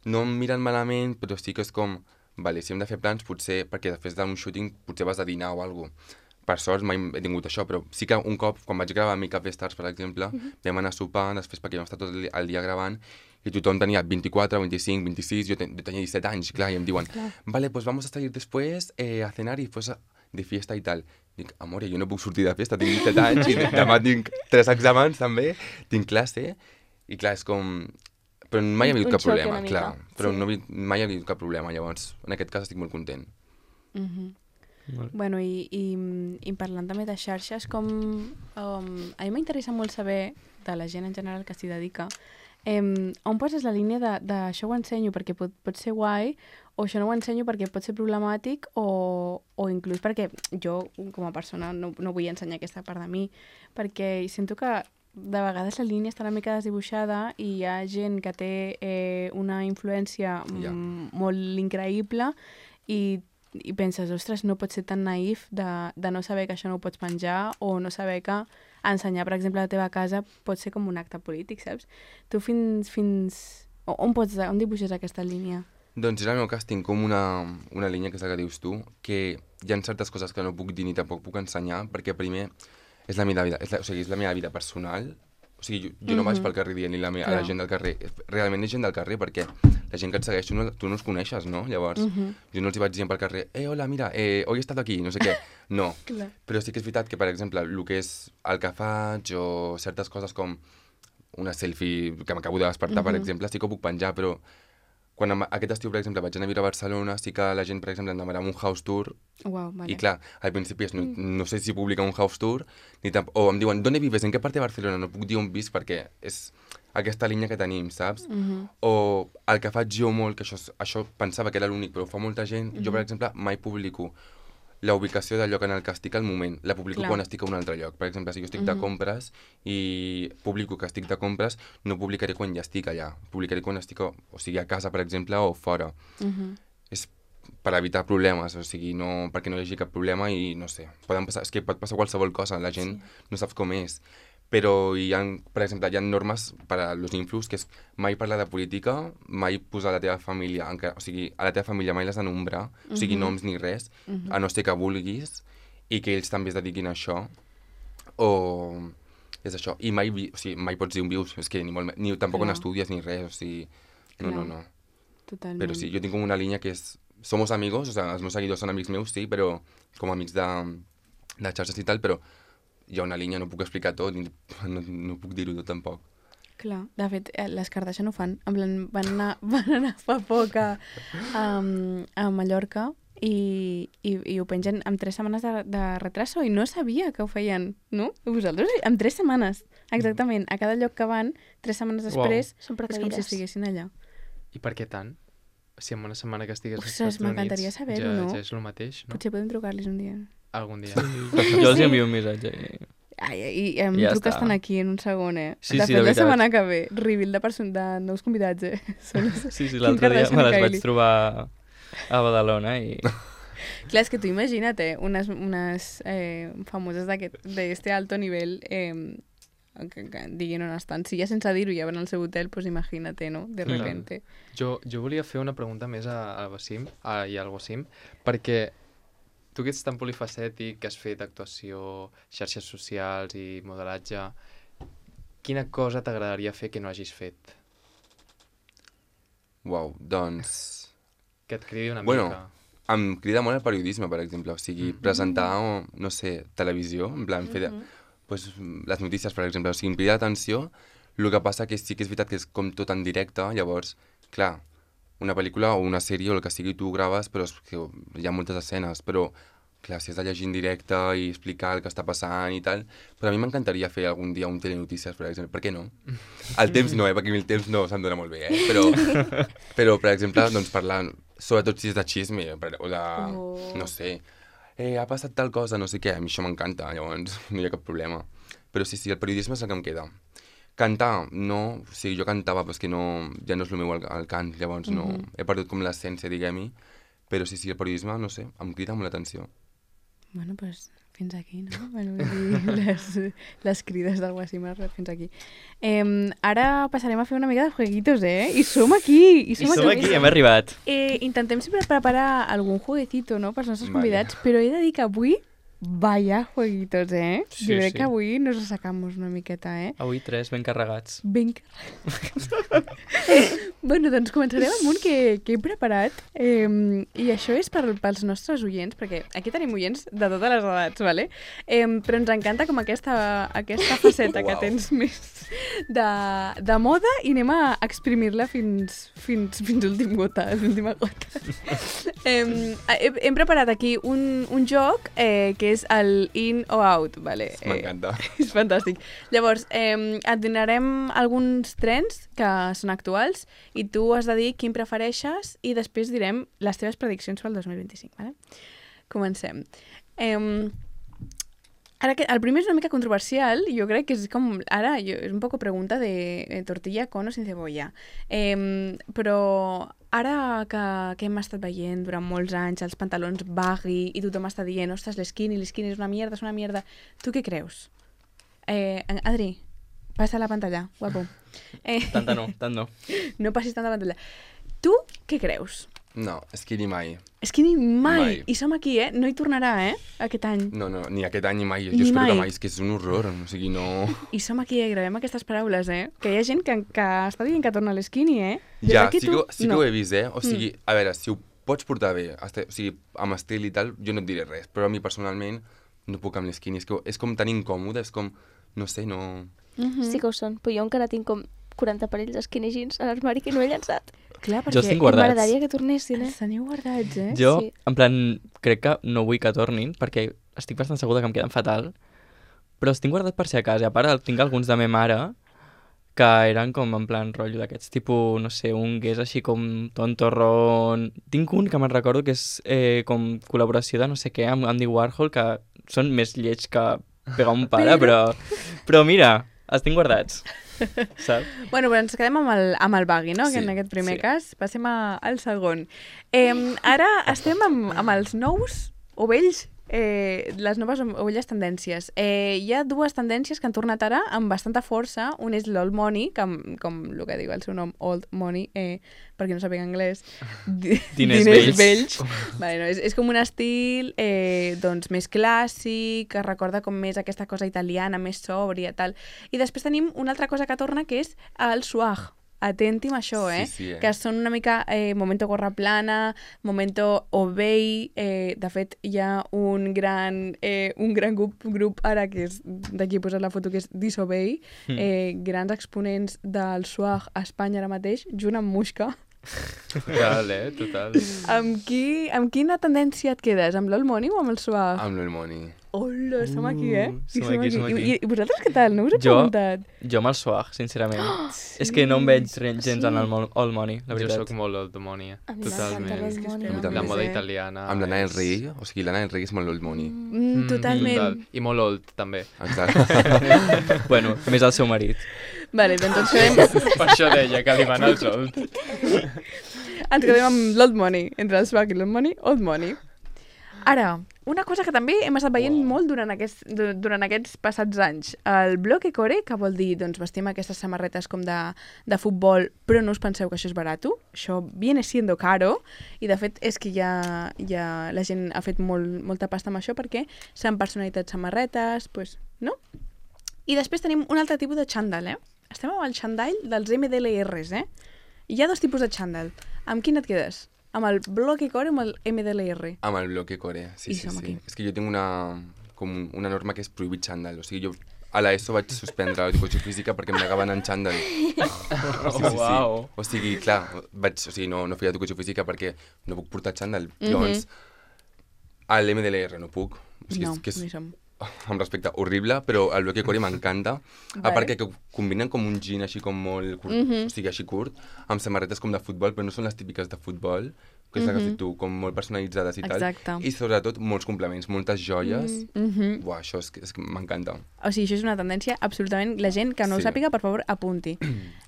no em miren malament, però sí que és com, vale, si hem de fer plans, potser, perquè després d'un shooting potser vas a dinar o alguna cosa. Per sort mai he tingut això, però sí que un cop, quan vaig gravar Make Up Stars, per exemple, vam anar a sopar, després perquè vam estar tot el dia gravant, i tothom tenia 24, 25, 26, jo tenia 17 anys, clar, i em diuen, vale, pues vamos a salir después a cenar y pues de fiesta y tal. Dic, amore, jo no puc sortir de festa, tinc 17 anys, i demà tinc 3 exàmens també, tinc classe, i clar, és com... Però mai ha hagut cap problema, clar, però mai ha hagut cap problema, llavors, en aquest cas estic molt content. Bueno, i parlant també de xarxes, com... a mi m'interessa molt saber, de la gent en general que s'hi dedica, on poses la línia de això ho ensenyo perquè pot ser guai, o això no ho ensenyo perquè pot ser problemàtic, o inclús perquè jo, com a persona, no vull ensenyar aquesta part de mi, perquè sento que de vegades la línia està una mica desdibuixada i hi ha gent que té una influència molt increïble i penses, ostres, no pots ser tan naïf de no saber que això no ho pots penjar o no saber que ensenyar, per exemple, a la teva casa pot ser com un acte polític, saps? Tu on dibuixes aquesta línia? Doncs en el meu cas tinc com una línia, que és la que dius tu, que hi ha certes coses que no puc dir ni tampoc puc ensenyar, perquè primer és la meva vida, és la meva vida personal. O sigui, jo no vaig pel carrer dient a la gent del carrer. Realment és gent del carrer, perquè la gent que et segueix, tu no els coneixes, no? Llavors, jo no els hi vaig dient pel carrer, hola, mira, hoy he estat aquí, no sé què. No. Però sí que és veritat que, per exemple, el que és el que faig o certes coses com una selfie que m'acabo de despertar, per exemple, sí que ho puc penjar, però quan aquest estiu, per exemple, vaig anar a viure a Barcelona, sí que la gent, per exemple, em demanava un house tour. Wow, vale. I clar, al principi no sé si publica un house tour, o em diuen, ¿dónde vives? ¿En qué parte de Barcelona? No puc dir on visc perquè és aquesta línia que tenim, saps? O el que faig jo molt, que això pensava que era l'únic, però ho fa molta gent, jo, per exemple, mai publico la ubicació del lloc en el que estic al moment. La publico quan estic a un altre lloc. Per exemple, si jo estic de compres i publico que estic de compres, no publicaré quan ja estic allà. Publicaré quan estic, o sigui, a casa, per exemple, o fora. És per evitar problemes, o sigui, no, perquè no hi hagi cap problema i no sé, és que pot passar qualsevol cosa, la gent no saps com és. Però per exemple, hi ha normes per a los influx, que és mai parlar de política, mai posar la teva família, o sigui, a la teva família mai l'has de nombrar, o sigui, noms ni res, a no ser que vulguis, i que ells també es dediquin a això, o és això, i mai pots dir on vius, és que ni tampoc on estudies ni res, o sigui, no. Totalment. Però sí, jo tinc una línia que és, somos amigos, o sigui, els meus seguidors són amics meus, sí, però com amics de xarxes i tal, però hi ha una línia, no puc explicar tot, no puc dir-ho tot tampoc. Clar, de fet, les Kardashian ho fan. En plan, van anar fa poc a Mallorca i ho pengen amb 3 setmanes de retraso i no sabia que ho feien, no? Vosaltres, amb 3 setmanes, exactament. A cada lloc que van, 3 setmanes després, és com si estiguessin allà. I per què tant? Si en una setmana que estigues als Ostres, Estats Units m'encantaria saber-ho, no? ja és el mateix, no? Potser podem trucar-los un dia. Algun dia. Jo els envio un missatge. I em Ja truques està. tant aquí en un segon, Sí, de sí, fet, de la veritat. setmana que ve, reveal de nous convidats, Sí, l'altre dia me les vaig trobar a Badalona i... Clar, és que tu imagina't, unes famoses d'este alto nivell que diguin on estan. Si ja sense dir-ho ja van al seu hotel, pues imagina't, no? De repente. Jo volia fer una pregunta més al Wassim, i al Wassim, perquè tu que ets tan polifacètic, que has fet actuació, xarxes socials i modelatge, quina cosa t'agradaria fer que no hagis fet? Uau, doncs... Que et cridi una Bueno, mica. em crida molt el periodisme, per exemple, o sigui, presentar, no sé, televisió, en plan, fer pues, les notícies, per exemple, o sigui, em crida l'atenció, el que passa que sí que és veritat que és com tot en directe, llavors, clar, una pel·lícula o una sèrie o el que sigui tu ho graves, però és que hi ha moltes escenes, però clar, si has de llegir en directe i explicar el que està passant i tal, però a mi m'encantaria fer algun dia un telenotícies, per exemple, per què no? El temps no, perquè a mi el temps no se'm dona molt bé, però per exemple, doncs parlar, sobretot si és de xisme, o de, no sé, ha passat tal cosa, no sé què, a mi això m'encanta, llavors no hi ha cap problema. Però sí, el periodisme és el que em queda. Cantar, no. O sigui, jo cantava, però és que no, ja no és el meu el cant, llavors no. He perdut com l'essència, diguem-hi. Però sí, el periodisme, no sé, em crida molt l'atenció. Bueno, doncs fins aquí, no? Bueno, vull dir, les crides del Wasim han arribat fins aquí. Ara passarem a fer una mica de jueguitos, I som aquí! I som aquí, hem arribat. Intentem sempre preparar algun jueguecito, no?, pels nostres convidats, però he de dir que avui, vaya jueguitos, Sí, jo crec sí. que avui nos assecamos una miqueta, Avui 3 ben carregats. Ben carregats. Bueno, doncs començarem amb un que he preparat i això és pels nostres oients, perquè aquí tenim oients de totes les edats, ¿vale? Però ens encanta com aquesta faceta que tens més de moda i anem a exprimir-la fins l'última gota. Hem preparat aquí un joc que és el in o out, ¿vale? M'encanta. És fantàstic. Llavors, et donarem alguns trens que són actuals i tu has de dir quin prefereixes i després direm les teves prediccions pel 2025, ¿vale? Comencem. Ara, el primer és una mica controversial, jo crec que és com... Ara, és un poco pregunta de tortilla con o sin cebolla. Però ara que hem estat veient durant molts anys els pantalons baggy i tothom està dient, ostres, l'esquini és una mierda, tu què creus? Adri, passa la pantalla, guapo. Tant no. No passis tant la pantalla. Tu què creus? No, skinny mai. Skinny mai. Mai. I som aquí, no hi tornarà, aquest any. No, ni aquest any ni mai. Ni Jo espero mai. que mai, és que és un horror, o sigui, no... I som aquí, gravem aquestes paraules, que hi ha gent que està dient que torna a l'esquini, Des Ja, d'aquí sí que no. ho he vist, O sigui, a veure, si ho pots portar bé, o sigui, amb estil i tal, jo no et diré res, però a mi personalment no puc amb l'esquini, és com tan incòmode, és com, no sé, no... Sí que ho són, però jo encara tinc com 40 parells de skinny jeans a l'armari que no he llançat. Clar, Jo els perquè tinc guardats. M'agradaria que tornessin, els teniu guardats, Jo, Sí. en plan, crec que no vull que tornin, perquè estic bastant segura que em queden fatal, però els tinc guardats per si a casa. I a part, tinc alguns de ma mare que eren com en plan rotllo d'aquests tipus, no sé, un que és així com tontorrón... Tinc un que me'n recordo que és com col·laboració de no sé què amb Andy Warhol, que són més lleig que pegar un pare, però mira, els tinc guardats, saps? Bueno, però ens quedem amb el baggy, no? Sí, Que en aquest primer sí. cas. Passem al segon. Ara estem amb els nous o vells, les noves o velles tendències. Hi ha dues tendències que han tornat ara amb bastanta força. Un és l'old money, que, com el que diu el seu nom, old money, perquè no sàpiga anglès. Diners vells. Vale, no, és com un estil doncs, més clàssic, que recorda com més aquesta cosa italiana, més sòbria, tal. I després tenim una altra cosa que torna, que és el swag. Atenti amb això, Sí, que són una mica momento gorra plana, momento obey, de fet hi ha un gran grup ara que és, d'aquí he posat la foto, que és Disobey, grans exponents del swag a Espanya ara mateix, junt amb Muixca. Total, total. Amb quina tendència et quedes? Amb l'old money o amb el swag? Amb l'old money. Hola, som aquí, som aquí. I vosaltres què tal? No us he preguntat? Jo amb el swag, sincerament. És que no em veig gens en el old money, la Jo veritat. sóc molt old money, A mi totalment. m'encanta l'old money. A mi també. La moda italiana. Amb l'Anna del Rei, o sigui, l'Anna del Rei és molt l'old money. Totalment. Total. I molt old, també. Exacte. Bueno, més el seu marit. Vale, doncs ens quedem, Per això deia que li van els old. ens quedem amb l'old money. Entre el swag i l'old money. Ara, una cosa que també hem estat veient molt durant aquests passats anys. El bloque core, que vol dir, doncs, vestim aquestes samarretes com de futbol, però no us penseu que això és barat. Això viene siendo caro, i de fet és que ja la gent ha fet molta pasta amb això perquè s'han personalitat samarretes, pues, no? I després tenim un altre tipus de xandall, Estem amb el xandall dels MDLRs, Hi ha dos tipus de xandall. Amb quin et quedes? Amb el bloque core o amb el MDLR? Amb el bloque core, sí. És que jo tinc una norma que és prohibit xandall. O sigui, jo a l'ESO vaig suspendre l'educació física perquè em negaven en xandall. Sí. O sigui, clar, no feia educació física perquè no puc portar xandall. Llavors, a l'MDLR no puc. O sigui, No, és que no hi som. amb respecte, horrible, però el bloque core m'encanta. Vale. A part que combinen com un jean així com molt curt, o sigui, així curt, amb samarretes com de futbol, però no són les típiques de futbol, que és la que has dit tu, com molt personalitzades i tal. Exacte. I sobretot molts complements, moltes joies. Buah, això és que m'encanta. O sigui, això és una tendència absolutament... La gent que no ho Sí. sàpiga, per favor, apunti.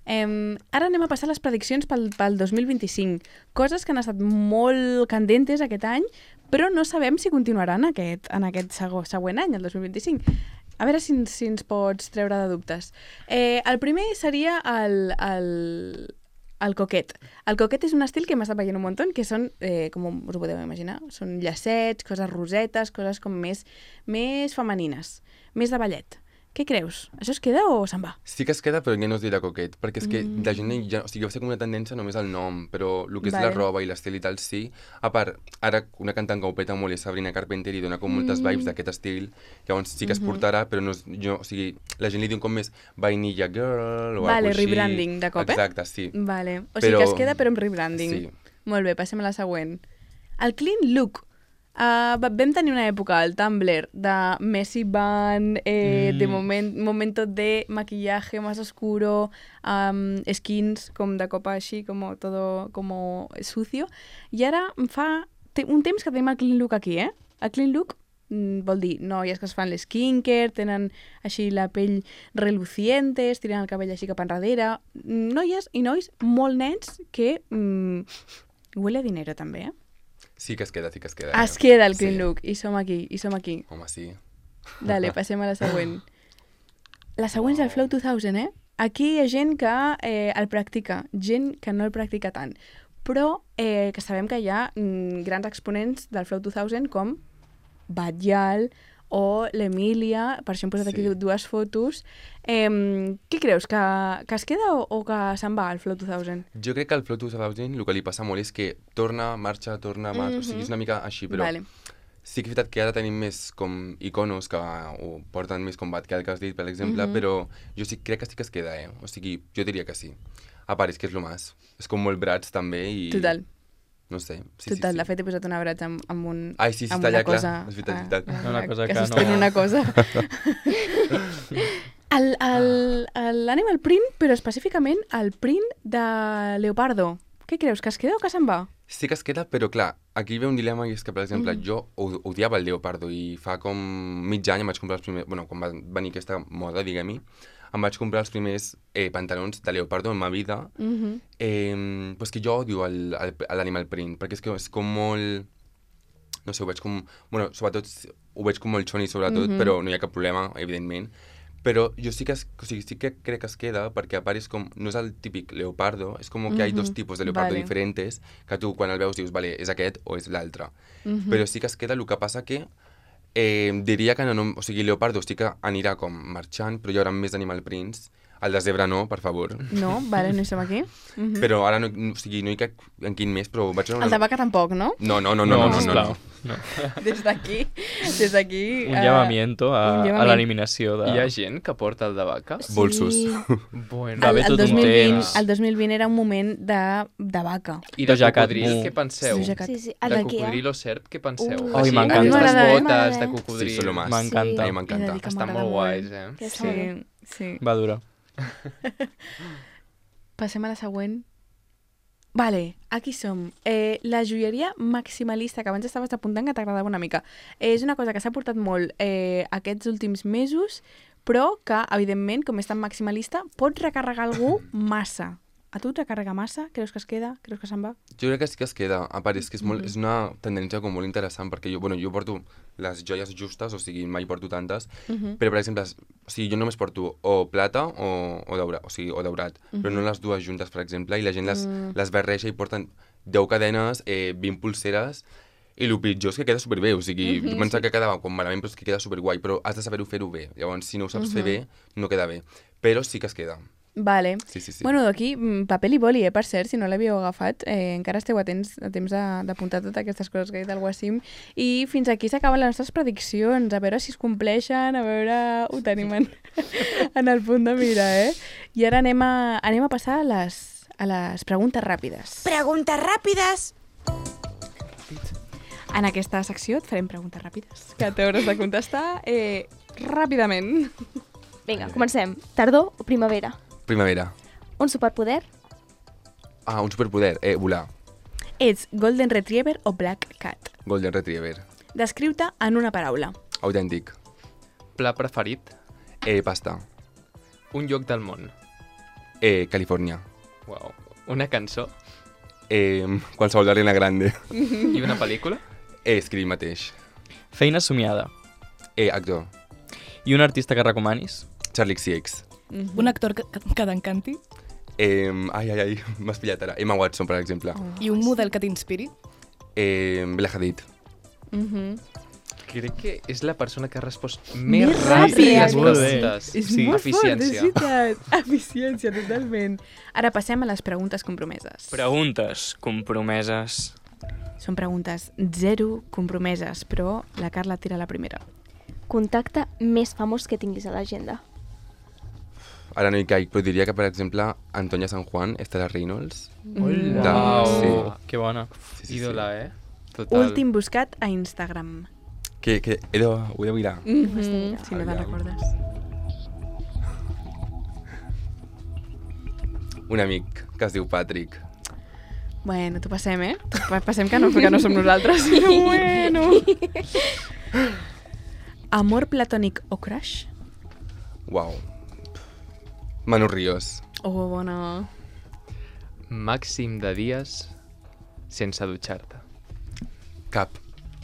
Ara anem a passar a les prediccions pel 2025. Coses que han estat molt candentes aquest any, però no sabem si continuaran en aquest següent any, el 2025. A veure si ens pots treure de dubtes. El primer seria el coquet. El coquet és un estil que hem estat veient un munt, que són, com us ho podeu imaginar, són llacets, coses rosetes, coses com més femenines, més de ballet. Què creus? Això es queda o se'n va? Sí que es queda, però ja no es dirà coquet, perquè és que la gent ja... O sigui, va ser com una tendència només al nom, però el que és la roba i l'estil i tal, sí. A part, ara una cantant que ho peta molt és Sabrina Carpenter i dona com moltes vibes d'aquest estil, llavors sí que es portarà, però no és... o sigui, la gent li diu com més vainilla girl o Vale, alguna així. rebranding de cop, Exacte, sí. Vale. O sigui que es queda però amb rebranding. Sí. Molt bé, passem a la següent. El clean look. Vam tenir una època al Tumblr de Messy Van, de momento de maquillaje más oscuro, skins com de copa així, todo como sucio. I ara fa un temps que tenim el clean look aquí, eh? El clean look vol dir noies que es fan l'skincare, tenen així la pell reluciente, estiren el cabell així cap enrere. Noies i nois molt nens que huele a dinero també, eh? Sí que es queda, sí que es queda. Es queda el clean look, i som aquí. Home, sí. Dale, passem a la següent. La següent és el Flow 2000, eh? Aquí hi ha gent que el practica, gent que no el practica tant, però que sabem que hi ha grans exponents del Flow 2000 com Batllal o l'Emília, per això hem posat aquí dues fotos. Què creus, que es queda o que se'n va el Flow 2000? Jo crec que el Flow 2000 el que li passa molt és que torna, marxa, o sigui, és una mica així, però sí que és veritat que ara tenim més com iconos que ho porten més com Batllal, que has dit, per exemple, però jo sí crec que sí que es queda, o sigui, jo diria que sí. A part, és que és lo más. És com molt brats també i... Total. No sé. Sí, Total, sí. de fet he posat una bratxa amb un... Ai, sí, està allà, clar. És veritat. Una cosa que que sostén no... una cosa. L'animal print, però específicament el print de leopardo. Què creus, que es queda o que se'n va? Sí que es queda, però clar, aquí ve un dilema i és que, per exemple, jo odiava el leopardo i fa com mig any em vaig comprar els primers... Bueno, quan va venir aquesta moda, diguem-hi, em vaig comprar els primers pantalons de leopardo en ma vida. Pues que jo odio l'animal print, perquè és que és com molt... No sé, ho veig com... Bueno, sobretot ho veig com molt xoni, sobretot, però no hi ha cap problema, evidentment. Però jo sí que crec que es queda, perquè a part és com... No és el típic leopardo, és com que hi ha dos tipus de leopardo diferents, que tu quan el veus dius, vale, és aquest o és l'altre. Però sí que es queda, el que passa que... diria que no, o sigui, leopardo sí que anirà com marxant, però hi haurà més animal prints. El de zebra no, per favor. No, vale, no hi som aquí. Però ara no, o sigui, no hi cap en quin més, però vaig veure El de vaca tampoc, no? No. Sisplau. No. Des d'aquí... Un llamamiento a l'eliminació de... Hi ha gent que porta el de vaca? Bolsos. Bueno. Va haver tot un temps. El 2020 era un moment de vaca. I de Jacat cocodril, mu. què penseu? Sí, De el d'aquí, cocodril o serp, què penseu? Ai, Així, m'encanta. aquestes A mi botes m'agrada. de Sí, cocodril. són lo más. M'encanta. A mi m'encanta. He de dir que Estan m'agrada molt guais, Que Sí. Va dura. Passem a la següent. Vale, aquí som. La joieria maximalista, que abans estaves apuntant que t'agradava una mica. És una cosa que s'ha portat molt aquests últims mesos, però que, evidentment, com és tan maximalista, pots recarregar algú massa. A tu et recarrega massa? Creus que es queda? Creus que se'n va? Jo crec que sí que es queda. A part, és que és una tendència com molt interessant, perquè jo porto les joies justes, o sigui, mai porto tantes, però, per exemple, o sigui, jo només porto o plata o daurat, però no les dues juntes, per exemple, i la gent les barreja i porten 10 cadenes, 20 pulseres, i el pitjor és que queda superbé, o sigui, jo pensava que quedava com malament, però és que queda superguai, però has de saber-ho fer-ho bé. Llavors, si no ho saps fer bé, no queda bé. Però sí que es queda. Vale. Sí. Bueno, aquí, paper i boli, per cert, si no l'havíeu agafat, encara esteu a temps d'apuntar totes aquestes coses que ha dit el Wassim. I fins aquí s'acaben les nostres prediccions, a veure si es compleixen, a veure... Ho tenim en el punt de mira, eh? I ara anem a passar a les preguntes ràpides. Preguntes ràpides. En aquesta secció et farem preguntes ràpides, que t'hauràs de contestar ràpidament. Vinga, comencem. Tardor o primavera? Primavera. Un superpoder? Un superpoder. Volar. Ets Golden Retriever o Black Cat? Golden Retriever. Descriu-te en una paraula. Autèntic. Pla preferit? Pasta. Un lloc del món? Califòrnia. Uau. Una cançó? Qualsevol d'Ariana Grande. I una pel·lícula? Escriu mateix. Feina somiada. Actor. I un artista que recomanis? Charlie XCX. Un actor que t'encanti Ai, m'has pillat ara. Emma Watson, per exemple. i un model que t'inspiri. Bella Hadid. Crec que és la persona que ha respost més Més ràpid ràpid. les Molt bé. preguntes. És molt fort, és Eficiència. veritat. Eficiència, totalment. Ara passem a les preguntes compromeses. Preguntes compromeses. Són preguntes 0 compromeses, però la Carla tira la primera. Contacte més famós que tinguis a l'agenda. Ara no hi caic, però diria que, per exemple, Antonia San Juan, Estela Reynolds. Hola. Sí. Que bona. Sí. Ídola, Total. Últim buscat a Instagram. Que ho he de mirar. Si no te'n Aviam. recordes. Un amic que es diu Patrick. Bueno, t'ho passem, Passem que no som nosaltres. Bueno. Amor platònic o crush? Uau. Manu Ríos. Oh, bona. Màxim de dies sense dutxar-te. Cap.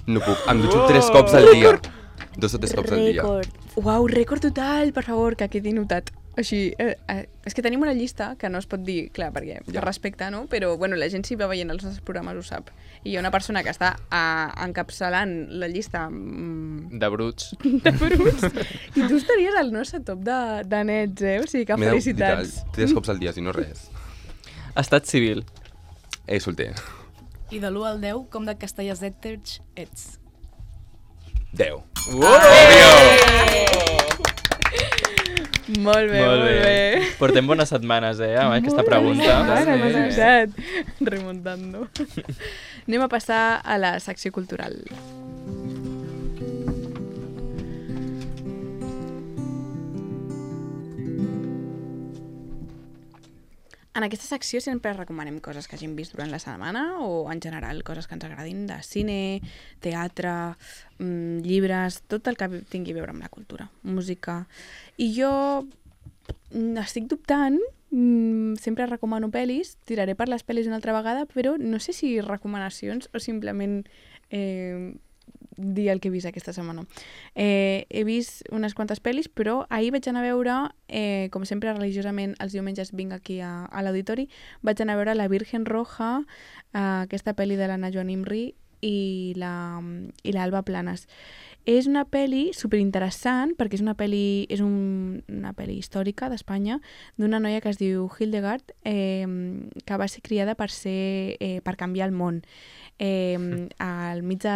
No puc. Em dutxo 3 cops al dia. 2 o 3 cops al dia. Rècord. Uau, rècord total, per favor, que quedi notat. Així, és que tenim una llista que no es pot dir, clar, perquè per respecte, no? Però, bueno, la gent si va veient els nostres programes ho sap. I hi ha una persona que està encapçalant la llista De bruts. de bruts i tu estaries al nostre top de nets, O sigui que M'he de felicitats. 3 cops al dia, si no res. Estat civil. Solter. I de l'1 al 10, com de castellers ets? 10. Molt bé, molt bé. Portem bones setmanes, amb aquesta pregunta. Ara m'has avisat. Remontando. Anem a passar a la secció cultural. En aquesta secció sempre recomanem coses que hagin vist durant la setmana o, en general, coses que ens agradin de cine, teatre, llibres, tot el que tingui a veure amb la cultura, música. I jo estic dubtant, sempre recomano pel·lis, tiraré per les pel·lis una altra vegada, però no sé si recomanacions o simplement dir el que he vist aquesta setmana. He vist unes quantes pel·lis, però ahir vaig anar a veure, com sempre religiosament els diumenges vinc aquí a l'auditori, vaig anar a veure La Virgen Roja, aquesta pel·li de l'Anna Joan Imri i l'Alba Planes. És una pel·li superinteressant perquè és una pel·li històrica d'Espanya d'una noia que es diu Hildegard, que va ser criada per canviar el món. Al mig de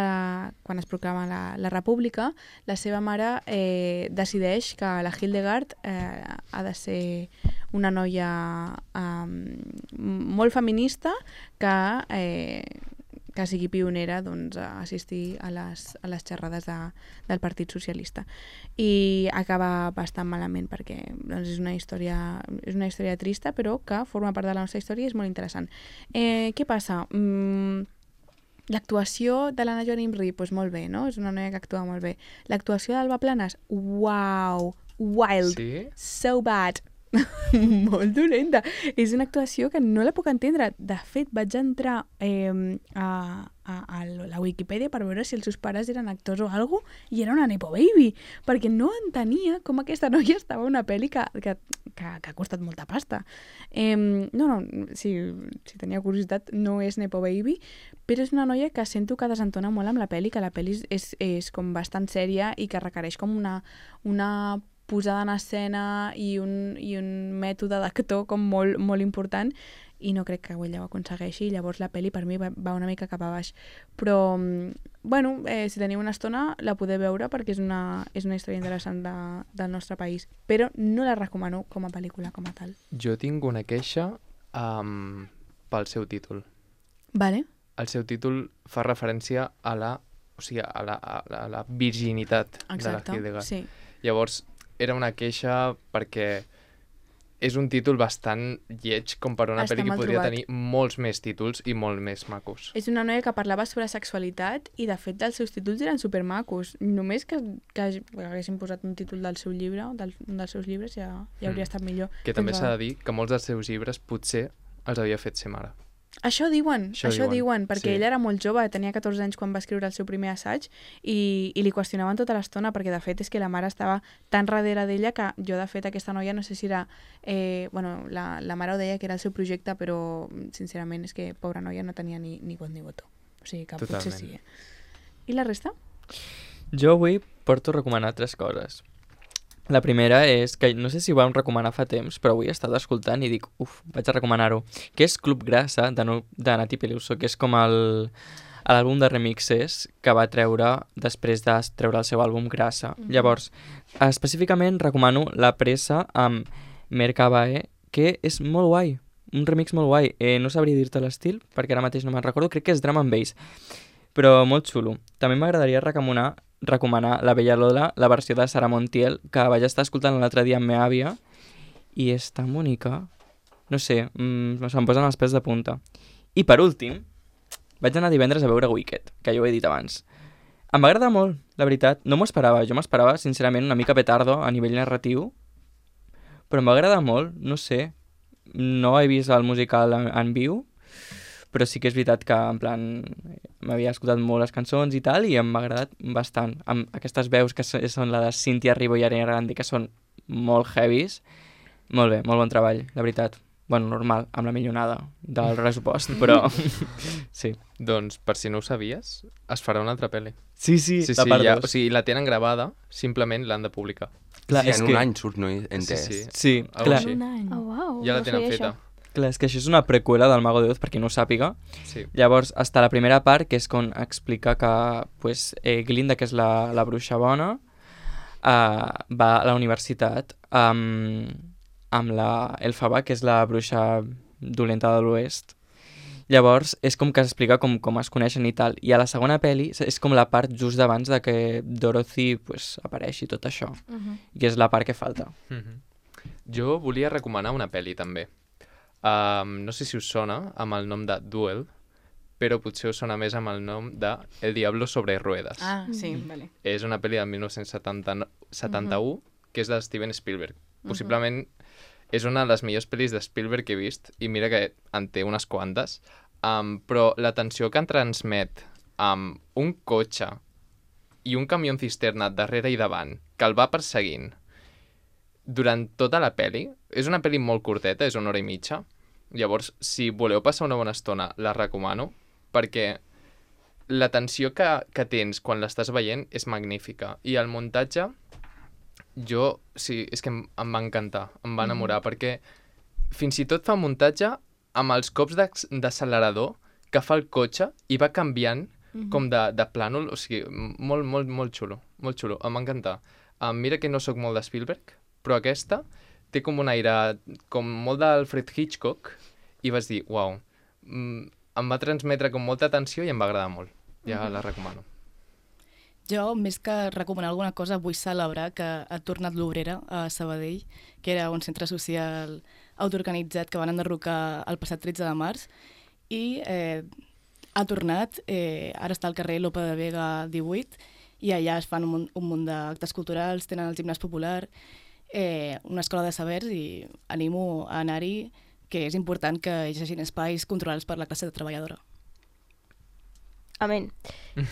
quan es proclama la República, la seva mare decideix que la Hildegard ha de ser una noia molt feminista que sigui pionera a assistir a les xerrades del Partit Socialista. I acaba bastant malament perquè és una història trista, però que forma part de la nostra història i és molt interessant. Què passa? L'actuació de l'Anna Joan Imri, doncs molt bé, no? És una noia que actua molt bé. L'actuació d'Alba Planes, uau, wild, Sí? so bad. Molt dolenta. És una actuació que no la puc entendre. De fet, vaig entrar a la Wikipedia per veure si els seus pares eren actors o alguna cosa, i era una nepo baby, perquè no entenia com aquesta noia estava en una pel·li que ha costat molta pasta. Si tenia curiositat, no és nepo baby, però és una noia que sento que desentona molt amb la pel·li, que la pel·li és com bastant sèria i que requereix com una posada en escena i un mètode d'actor com molt, molt important, i no crec que ella ho aconsegueixi, i llavors la pel·li per mi va una mica cap a baix. Però, si teniu una estona la podeu veure perquè és una història interessant del nostre país, però no la recomano com a pel·lícula com a tal. Jo tinc una queixa pel seu títol. Vale. el seu títol fa referència a la, o sigui, a la virginitat Exacte, de la Hildegard. sí. Llavors, era una queixa perquè és un títol bastant lleig com per una Està pel·li que mal podria trobat. tenir molts més títols i molt més macos. És una noia que parlava sobre sexualitat i, de fet, els seus títols eren supermacos. Només que haguessin posat un títol del seu llibre, un dels seus llibres, ja hauria estat millor. Que també Fins s'ha a- de dir que molts dels seus llibres potser els havia fet ser mare. Això diuen, Això diuen, perquè sí. ell era molt jove, tenia 14 anys quan va escriure el seu primer assaig i li qüestionaven tota l'estona perquè, de fet, és que la mare estava tan darrere d'ella que jo, de fet, aquesta noia no sé si era... la mare ho deia que era el seu projecte, però, sincerament, és que, pobra noia, no tenia ni vot ni votó. O sigui que potser Totalment. sí. I la resta? Jo avui porto a recomanar 3 coses. La primera és que no sé si ho vam recomanar fa temps, però avui he estat escoltant i dic, vaig a recomanar-ho, que és Club Grassa, de Nati Peluso, que és com l'àlbum de remixes que va treure després de treure el seu àlbum Grassa. Llavors, específicament recomano La Pressa amb Mercabae, que és molt guai, un remix molt guai. No sabria dir-te l'estil, perquè ara mateix no me'n recordo, crec que és drum and bass, però molt xulo. També m'agradaria recomanar La Bella Lola, la versió de Sara Montiel, que vaig estar escoltant l'altre dia amb meva àvia, i és tan bonica. No sé, se'm posen els pèls de punta. I per últim, vaig anar divendres a veure Wicked, que ja ho he dit abans. Em va agradar molt, la veritat. No m'ho esperava. Jo m'esperava, sincerament, una mica petardo a nivell narratiu, però em va agradar molt, no sé. No he vist el musical en viu, però sí que és veritat que, en plan, m'havia escoltat molt les cançons i tal, i em m'ha agradat bastant. Amb aquestes veus que són la de Cynthia Erivo i Ariana Grande, que són molt heavies. Molt bé, molt bon treball, la veritat. Bueno, normal, amb la millonada del pressupost, però sí. Doncs, per si no ho sabies, es farà una altra pel·li. Sí, Sí, la part ja, dos. o sigui, la tenen gravada, simplement l'han de publicar. Clar, sí, és en que... un any surt, no he entès. Sí. Sí, Algo clar, així. Un any. Oh, uau, Ja la no tenen sabia feta. això. clar, és que això és una preqüela del Mago de Oz, per qui no ho sàpiga. Sí. Llavors, està la primera part, que és quan explica que pues, Glinda, que és la bruixa bona, va a la universitat amb la Elphaba, que és la bruixa dolenta de l'oest. Llavors, és com que s'explica com es coneixen i tal. I a la segona pel·li és com la part just d'abans de que Dorothy pues, apareixi tot això. I és la part que falta. Jo volia recomanar una pel·li, també. No sé si us sona amb el nom de Duel, però potser us sona més amb el nom de El Diablo sobre ruedas. Ah, sí, vale. És una pel·li del 1971 que és de Steven Spielberg. Possiblement és una de les millors pel·lis de Spielberg que he vist, i mira que en té unes quantes, però la tensió que en transmet amb un cotxe i un camió cisterna darrere i davant que el va perseguint durant tota la pel·li, és una pel·li molt curteta, és 1 hora i mitja, llavors si voleu passar una bona estona la recomano, perquè la tensió que tens quan l'estàs veient és magnífica, i el muntatge sí, és que em va encantar, em va enamorar, perquè fins i tot fa muntatge amb els cops d'accelerador que fa el cotxe i va canviant com de plànol, o sigui, molt, molt, molt xulo, em va encantar. Mira que no sóc molt de Spielberg, però aquesta té com un aire, com molt d'Alfred Hitchcock, i vas dir, uau, em va transmetre com molta atenció i em va agradar molt. Ja la recomano. Jo, més que recomanar alguna cosa, vull celebrar que ha tornat l'Obrera a Sabadell, que era un centre social autoorganitzat que van enderrocar el passat 13 de març, i ha tornat, ara està al carrer Lope de Vega 18, i allà es fan un munt d'actes culturals, tenen el gimnàs popular, una escola de sabers, i animo a anar-hi, que és important que hi hagi espais controlats per la classe treballadora. Amén.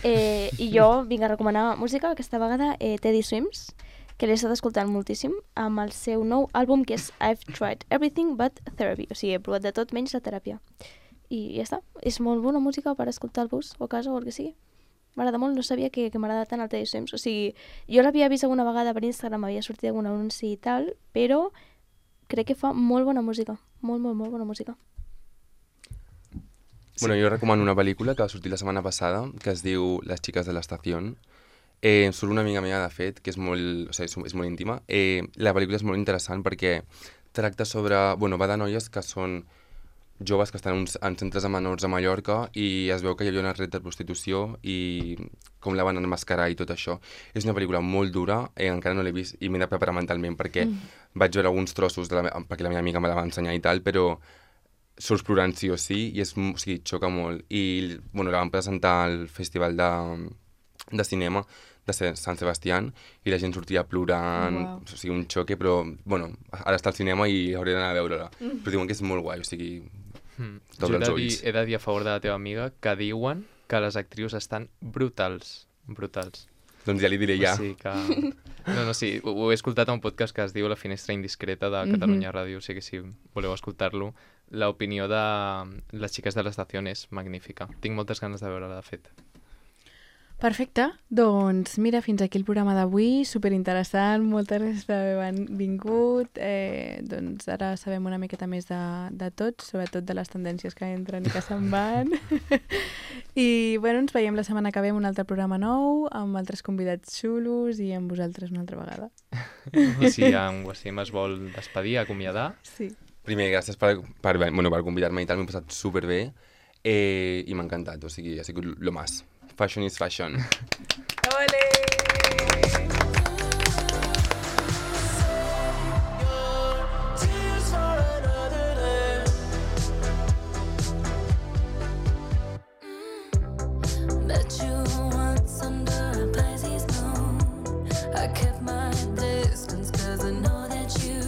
I jo vinc a recomanar música, aquesta vegada Teddy Swims, que l'he estat escoltant moltíssim, amb el seu nou àlbum, que és I've Tried Everything But Therapy. O sigui, he provat de tot menys la teràpia. I ja està. És molt bona música per escoltar al bus o a casa o el que sigui. M'agrada molt, no sabia que m'agrada tant el Teddy Swims. O sigui, jo l'havia vist alguna vegada per Instagram, havia sortit algun anunci i tal, però crec que fa molt bona música. Molt, molt, molt bona música. Bueno, jo recomano una pel·lícula que va sortir la setmana passada, que es diu Les xiques de l'estació. Surt una amiga meva, de fet, que és molt, o sigui, és molt íntima. La pel·lícula és molt interessant perquè tracta sobre... Bueno, va de noies que són joves que estan en centres de menors a Mallorca i es veu que hi havia una red de prostitució i com la van enmascarar i tot això. És una pel·lícula molt dura, encara no l'he vist i m'he de preparar mentalment perquè vaig veure alguns trossos perquè la meva amiga me la va ensenyar i tal, però surts plorant sí o sí i o sigui, xoca molt. I bueno, la van presentar al Festival de Cinema de Sant Sebastián i la gent sortia plorant, o sigui, un xoque, però bueno, ara està al cinema i hauré d'anar a veure-la. Però diuen que és molt guai, o sigui, t'obre els ulls. He de dir a favor de la teva amiga que diuen que les actrius estan brutals. Doncs ja li diré ja. O sigui que... No, sí, ho he escoltat a un podcast que es diu La Finestra Indiscreta de Catalunya Ràdio, o sigui que si voleu escoltar-lo, l'opinió de les xiques de l'estació és magnífica. Tinc moltes ganes de veure-la, de fet. Perfecte, doncs mira, fins aquí el programa d'avui, superinteressant, moltes gràcies per haver vingut, doncs ara sabem una miqueta més de tot, sobretot de les tendències que entren i que se'n van, i bueno, ens veiem la setmana que ve amb un altre programa nou, amb altres convidats xulos i amb vosaltres una altra vegada. I si en Wassim es vol despedir, acomiadar? Sí. Primer, gràcies per convidar-me i tal, m'he passat superbé i m'ha encantat, o sigui, ha sigut lo más. Fashion is fashion. Ole! Met you once under a Pisces moon. I kept my distance 'cause I know that you